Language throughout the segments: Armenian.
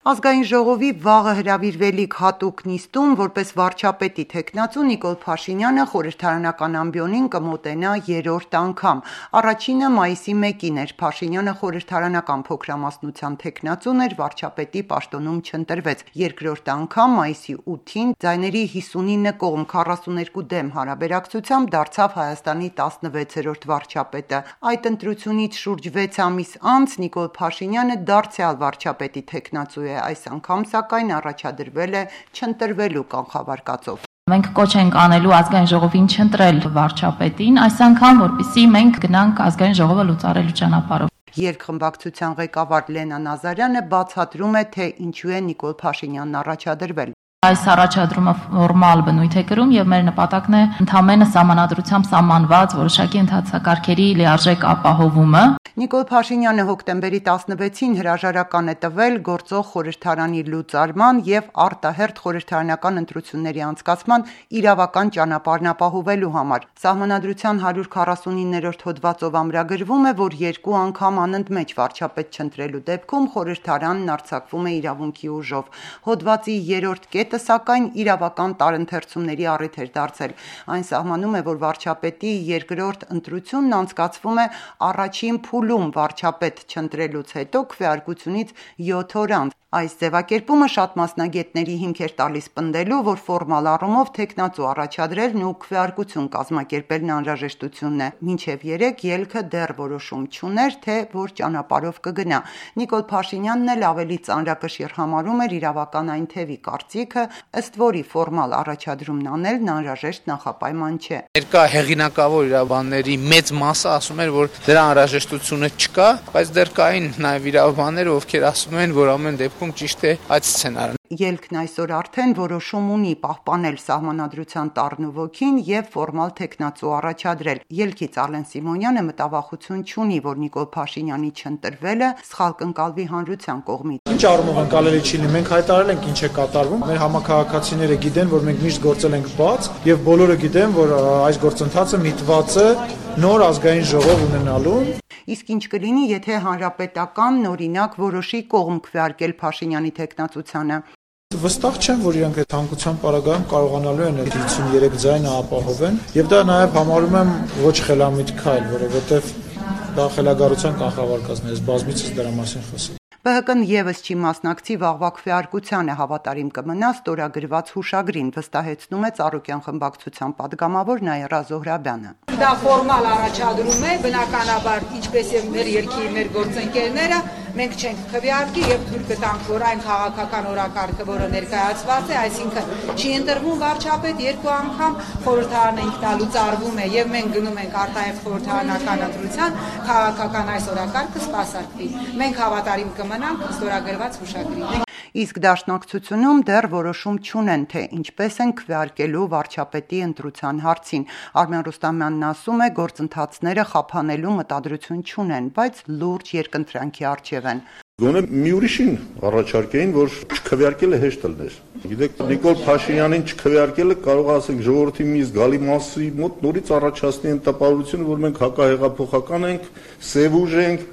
Ազգային ժողովի վաղը հրավիրվելիք հատուկ նիստում որպես վարչապետի թեկնածու Նիկոլ Փաշինյանը խորհրդարանական ամբիոնին կմոտենա երրորդ անգամ։ Առաջինը մայիսի 1-ին էր։ Փաշինյանը խորհրդարանական փոքրամասնության թեկնածուն էր, վարչապետի պաշտոնում չընտրվեց։ Երկրորդ անգամ մայիսի 8-ին ձայների 59 կողմ 42 դեմ հարաբերակցությամբ դարձավ Հայաստանի 16-րդ վարչապետը։ Այդ ընտրությունից շուրջ 6 ամիս անց Նիկոլ Փաշինյանը դարձյալ վարչապետի թեկնածու է։ Այս անգամ սակայն առաջադրվել է չընտրվելու կանխավարկածով։ Մենք կոչ ենք անելու ազգային ժողովին չընտրել վարչապետին, այս անգամ որպեսզի մենք գնանք ազգային ժողովը լուծարելու ճանապարհով։ Երկխմբակցության ղեկավար Լենա Նազարյանը բացատրում է, թե ինչու է Նիկոլ Փաշինյանն առաջադրվել։ Այս առաջադրումը ֆորմալ բնույթ է կրում եւ մեր նպատակն է ընդհանրապես սահմանադրությամբ սահմանված որոշակի ընթացակարգերի լիարժեք ապահովումը։ Նիկոլ Փաշինյանը հոկտեմբերի 16-ին հրաժարական է տվել գործող խորհրդարանի լուծարման եւ արտահերթ խորհրդարանական ընտրությունների անցկացման իրավական ճանապարհն ապահովելու համար։ Սահմանադրության 149-րդ հոդվածով ամրագրվում է, որ երկու անգամ անընդմեջ վարչապետ չընտրելու դեպքում խորհրդարանն արձակվում է իրավունքի ուժով։ Հոդվածի 3-րդ կետը սակայն իրավական տարընթերցումների առիթ էր դարձել։ Այն սահմանում է, որ վարչապետի երկրորդ ընտրությունն անցկացվում է առաջին փուլում վարչապետ չընտրելուց հետո քվեարկությունից 7 օր անց։ Այս ձևակերպումը շատ մասնագետների հիմք էր տալիս պնդելու, որ ֆորմալ առումով թեկնածու առաջադրելն ու քվեարկություն կազմակերպելն անհրաժեշտությունն է։ Մինչև 3 ելքը դեռ որոշում չուներ, թե որ ճանապարհով կգնա։ Նիկոլ Փաշինյանն էլ ավելի ծանրակշիռ համարում էր իրավական այն թևի կարծիքը, ըստ որի ֆորմալ առաջադրումն անելն անհրաժեշտ նախապայման չէ։ Ներկա հեղինակավոր իրավաբանների մեծ մասը ասում էր, որ դրա անհրաժեշտությունը չկա, բայց դեռ կային նաև իրավաբաններ, ովքեր ասում են, որ ամեն դեպքում ճիշտ է այդ սցենարը։ Ելքն այսօր արդեն որոշում ունի պահպանել սահմանադրության տառն ու ոգին եւ ֆորմալ թեկնածու առաջադրել։ Ելքից Արլեն Սիմոնյանը մտավախություն չունի, որ Նիկոլ Փաշինյանի չընտրվելը սխալ կընկալվի հանրության կողմից։ Ինչ առումով ընկալելի չի լինի, մենք հայտարարել ենք ինչ է կատարվում։ Մեր համակարգացիները գիտեն, որ մենք միշտ գործել ենք բաց եւ բոլորը գիտեն, որ այս գործընթացը միտված է նոր ազգային ժողով ունենալուն։ Իսկ ինչ կլինի, եթե հանրապետական նորինակ որոշի կողմ քվեարկել Փաշինյանի թեկնածությանը։ Վստահ չեմ, որ իրանք այդ հանգուցան պարագայում կարողանալու են 53 ձայնը ապահովեն, եւ դա նաեւ համարում եմ ոչ խելամիտ քայլ, որովհետեւ դա խելագարության կանխավարկածն է, ես բազմիցս դրա մասին խոսել։ ԲՀԿ-ն եւս չի մասնակցի վաղվա քվեարկությանը, հավատարիմ կմնա ստորագրված հուշագրին, վստահեցնում է Ծառուկյան խմբակցության падգամավոր Նաիրա Զոհրաբյանը։ Դա ֆորմալ առաջադրում է, բնականաբար, ինչպես եւ մեր երկրի մեր գործընկերները, մենք չենք քվեարկի եւ թույլ կտանք, որ այն քաղաքական օրակարգը, որը ներկայացված է, այսինքն չի ընտրվում վարչապետ երկու անգամ, խորհրդարանը ինքնալուծ արվում է եւ մենք գնում ենք արտահերթ խորհրդարանական ընտրության, քաղաքական այս օրակարգը սպասարկվի։ Մենք հավատարիմ կմնանք ստորագրված հուշագրին։ Իսկ դաշնակցությունում դեռ որոշում չունեն, թե ինչպես են քվեարկելու վարչապետի ընտրության հարցին։ Արմեն Ռուստամյանն ասում է, գործընթացները խափանելու մտադրություն չունեն, բայց լուրջ երկընտրանքի առջև են։ Գոնե մի ուրիշին առաջարկեին, որ չքվեարկելը հեշտ լիներ։ Գիտեք, Նիկոլ Փաշինյանին չքվեարկելը կարող ասենք ժողովրդի մի զգալի մասի մոտ նորից առաջացնի այն տպավորությունը, որ մենք հակահեղափոխական ենք, սև ուժ ենք,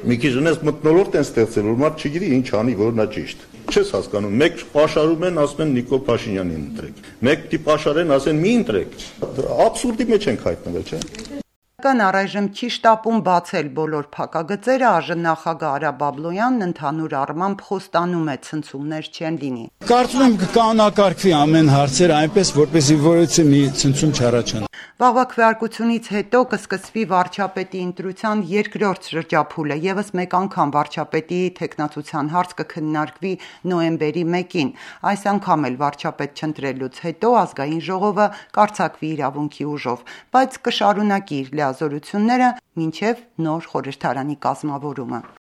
մի քիչ ունես մթնոլորտ են ստեղծել, որ մարդ չգիտի ինչ անի, որ նա ճիշտ։ Չես հասկանում, մեկ պաշարում են, ասում են Նիկոլ Փաշինյանին ընտրեք։ Մեկ դի պաշարեն, ասեն մի ընտրեք։ Աբսուրդի մեջ ենք հայտնվել, չէ՞։ Առայժմ չի շտապում բացել բոլոր փակագծերը, ԱԺ նախագահ Արա Բաբլոյանն ընդհանուր առմամբ խոստանում է ցնցումներ չեն լինի։ Կարծում եմ կկանոնակարգվի ամեն հարցերը այնպես, որպեսզի որևէ մի ցնցում չառաջանա։ Վաղվա քվեարկությունից հետո կսկսվի վարչապետի ընտրության երկրորդ շրջափուլը, եւս մեկ անգամ վարչապետի թեկնածության հարց կքննարկվի նոյեմբերի 1-ին։ Այս անգամ էլ վարչապետ չընտրելուց հետո ազգային ժողովը կարձակվի իրավունքի ուժով, բայց կշարունակի իր լիազորությունները մինչև նոր խորհրդարանի կազմավորումը։